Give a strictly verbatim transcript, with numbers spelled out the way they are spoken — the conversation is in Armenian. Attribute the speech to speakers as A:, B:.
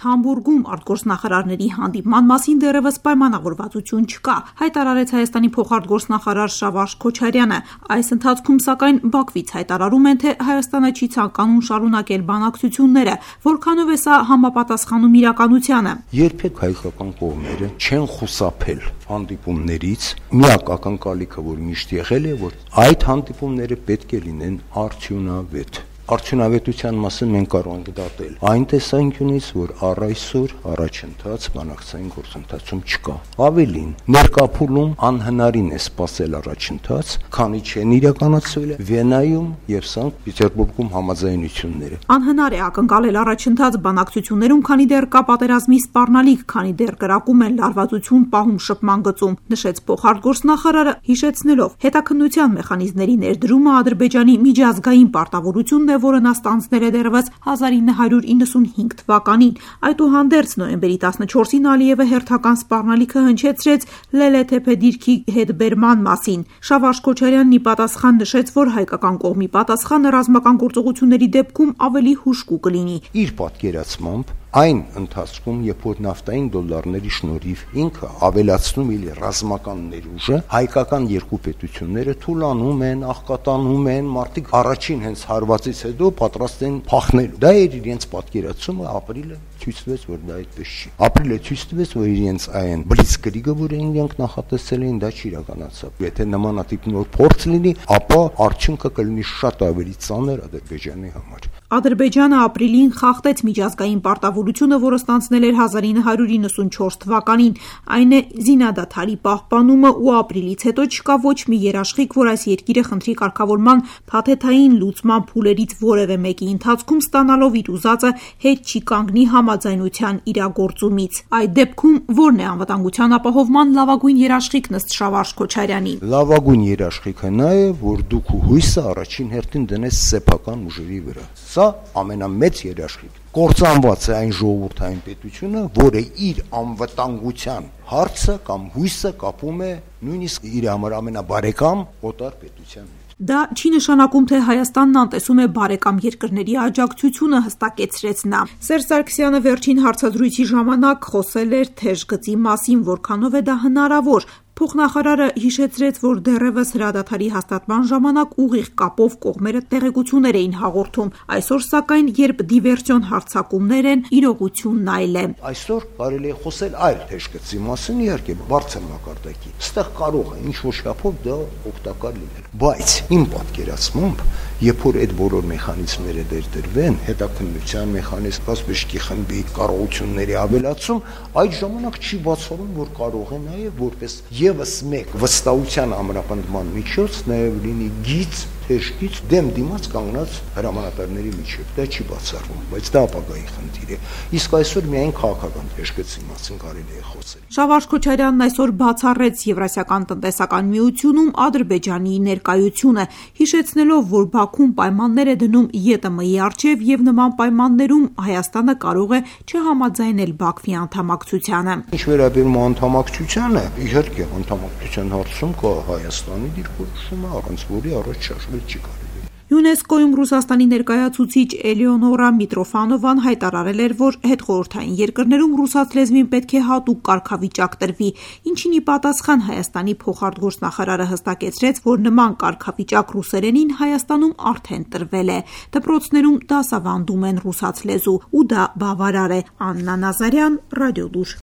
A: Համբուրգում արտգործնախարարների հանդիպման մասին դեռևս պայմանավորվածություն չկա, հայտարարեց Հայաստանի փոխարտգործնախարար Շավարշ Քոչարյանը։ Այս ընթացքում, սակայն, Բաքվից հայտարարում են, թե Հայաստանը չի ցանկանում շարունակել բանակցությունները, որքանով է սա համապատասխանում իրականությանը։
B: Երբեք հայկական կողմերը չեն խուսափել հանդիպումներից, միակ ակնկալիքը, որ միշտ եղել է, որ այդ հանդիպումները պետք է լինեն արդյունավետ։ Արդյունավետության մասին մենք կարող ենք դատել այն տեսանկյունից, որ առ այսօր առաջընթաց բանակցային գործընթացում չկա։ Ավելին, ներկա փուլում անհնարին է սպասել առաջընթաց, քանի չեն իրականացվել Վիեննայում եւ Սանկտ Պետերբուրգում համաձայնությունները։
A: Անհնար է ակնկալել առաջընթաց բանակցություններում, քանի դեռ կա պատերազմի սպառնալիք, քանի դեռ կրակում են լարվածություն պահում շփման գծում, նշեց փոխարտգործնախարարը, հիշեցնելով հետաքննության մեխանիզմների ներդրումը Ադրբեջանի միջազգային պարտավորությունն է, որը նա ստանձնել է դեռևս հազար ինը հարյուր իննսունհինգ թվականին։ Այդուհանդերձ նոյեմբերի տասնչորսին Ալիևը հերթական սպառնալիքը հնչեցրեց Լելեթեփե դիրքի հետբերման մասին։ Շավարշ Քոչարյանն ի պատասխան նշեց, որ հայկական կողմի պատասխանը ռազմական գործողությունների դեպքում ավելի հուժկու կլինի։
B: Իր պատկերացմամբ այն ընթացքում, երբ որ նավթային դոլարների շնորհիվ ինքը ավելացնում է ռազմական ներուժը, հայկական երկու պետությունները թուլանում են, աղքատանում են, մարդիկ առաջին հենց հարվածից հետո պատրաստ են փախնելու։ Դա էր իրենց պատկերացումը, ապրիլը ցույց տվեց, որ դա այդպես չի։ Ապրիլը ցույց տվեց, որ իրենց այն բլիցկրիգը, որ իրենք նախատեսել էին, դա չիրականացավ։ Եթե նմանատիպ նոր փորձ լինի, ապա արդյունքը կլինի շատ ավելի ծանր Ադրբեջանի համար։
A: Ադրբեջանը ապրիլին խախտեց միջազգային պարտավորությունը, որը ստանձնել էր հազար ինը հարյուր իննսունչորս թվականին, այն է զինադադարի պահպանումը, ու ապրիլից հետո չկա ոչ մի երաշխիք, որ այս երկիրը խնդրի կարգավորման փաթեթային լուծման փուլերից որևէ մեկի ընթացքում ստանալով իր ուզածը հետ չի կանգնի համաձայնության իրագործումից։ Այդ դեպքում ո՞րն է անվտանգության ապահովման լավագույն երաշխիքն ըստ Շավարշ Քոչարյանի։
B: Լավագույն երաշխիքը նա է, որ դուք հույսը առաջին հերթին դնես սեփական ուժերի վրա։ Սա ամենամեծ երաշխիք։ Կործանված է այն ժողովրդային պետությունը, որը իր անվտանգության հարցը կամ հույսը կապում է նույնիսկ իր համար ամենաբարեկամ օտար պետության հետ։
A: Դա չի նշանակում, թե Հայաստանն անտեսում է բարեկամ երկրների աջակցությունը, հստակեցրեց նա։ Սերժ Սարգսյանը վերջին հարցազրույցի ժամանակ խոսել էր թեժ գծի մասին, որքանով է դա հնարավոր։ Փոխնախարարը հիշեցրեց, որ դեռևս հրադադարի հաստատման ժամանակ ուղիղ կապով կողմերը տեղեկություններ էին հաղորդում։ Այսօր, սակայն, երբ դիվերսիոն հարձակումներ են, իրողությունն այլ է։
B: Այսօր կարելի է խոսել այլ թեժ գծի մասին, իհարկե, բարձր մակարդակի։ Այստեղ կարող է ինչ-որ չափով դա օգտակար լինել։ Բայց իմ պատկերացմամբ, երբ որ այդ բոլոր մեխանիզմները դերդրվեն, հետաքննության մեխանիզմ, Կասպիչքի խմբի կարողությունների ավելացում, այդ ժամանակ չի բացառում, որ կարող է նաև որպես եւս մեկ վստահության ամրապնդման միջոց նաև լինի գիծ, թեժգիծ դեմ դիմաց կանգնած հրամանատարների միջև։ Դա չի բացառվում, բայց դա ապագայի խնդիր է։ Իսկ այսօր միայն քաղաքական թեժգծի մասին կարելի է խոսել։
A: Շավարշ Քոչարյանն այսօր բացառեց Եվրասիական տնտեսական միությունում Ադրբեջանի ներկայությունը, հիշեցնելով, որ Բաքուն պայմաններ է դնում ԵՏՄ-ի առջև եւ նման պայմաններում Հայաստանը կարող է չհամաձայնել Բաքվի անդամակցությանը։
B: Ինչ վերաբերում է անդամակցությանը, իհարկե անդամակցության հարցում կա Հայաստանի դիրքորոշումը, առանց որի առաջ շարժվել չի կարելի։
A: ՅՈՒՆԵՍԿՕ-ում Ռուսաստանի ներկայացուցիչ Էլեոնորա Միտրոֆանովան հայտարարել էր, որ հետխորհրդային երկրներում ռուսաց լեզվին պետք է հատուկ կարգավիճակ տրվի, ինչին ի պատասխան Հայաստանի փոխարտգործնախարարը հստակեցրեց, որ նման կարգավիճակ ռուսերենին Հայաստանում արդեն տրվել է։ Դպրոցներում դասավանդում են ռուսաց լեզու, ու դա բավարար է։ Աննա Նազարյան, Ռադիոլուր։